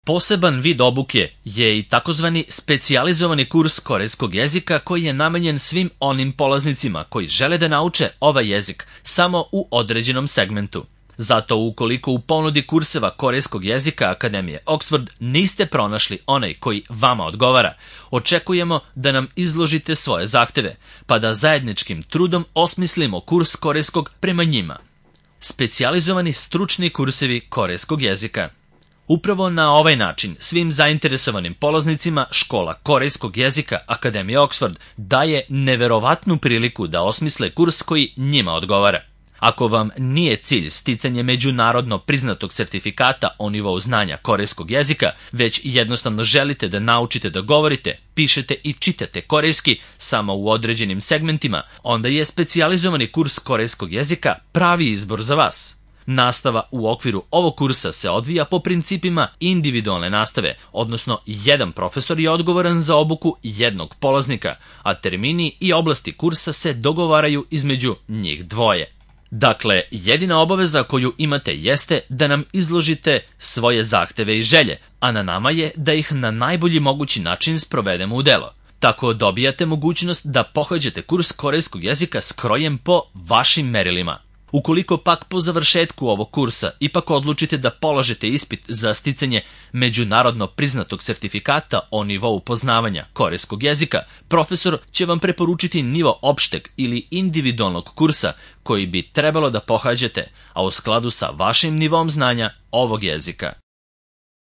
Poseban vid obuke je i takozvani specijalizovani kurs korejskog jezika koji je namenjen svim onim polaznicima koji žele da nauče ovaj jezik samo u određenom segmentu. Zato ukoliko u ponudi kurseva korejskog jezika Akademije Oxford niste pronašli onaj koji vama odgovara, očekujemo da nam izložite svoje zahteve, pa da zajedničkim trudom osmislimo kurs korejskog prema njima. Specijalizovani stručni kursevi korejskog jezika. Upravo na ovaj način svim zainteresovanim polaznicima škola korejskog jezika Akademije Oxford daje neverovatnu priliku da osmisle kurs koji njima odgovara. Ako vam nije cilj sticanje međunarodno priznatog sertifikata o nivou znanja korejskog jezika, već jednostavno želite da naučite da govorite, pišete i čitate korejski samo u određenim segmentima, onda je specijalizovani kurs korejskog jezika pravi izbor za vas. Nastava u okviru ovog kursa se odvija po principima individualne nastave, odnosno jedan profesor je odgovoran za obuku jednog polaznika, a termini i oblasti kursa se dogovaraju između njih dvoje. Dakle, jedina obaveza koju imate jeste da nam izložite svoje zahteve i želje, a na nama je da ih na najbolji mogući način sprovedemo u delo. Tako dobijate mogućnost da pohađate kurs korejskog jezika skrojen po vašim merilima. Ukoliko pak po završetku ovog kursa ipak odlučite da polažete ispit za sticanje međunarodno priznatog sertifikata o nivou poznavanja korejskog jezika, profesor će vam preporučiti nivo opšteg ili individualnog kursa koji bi trebalo da pohađate, a u skladu sa vašim nivom znanja ovog jezika.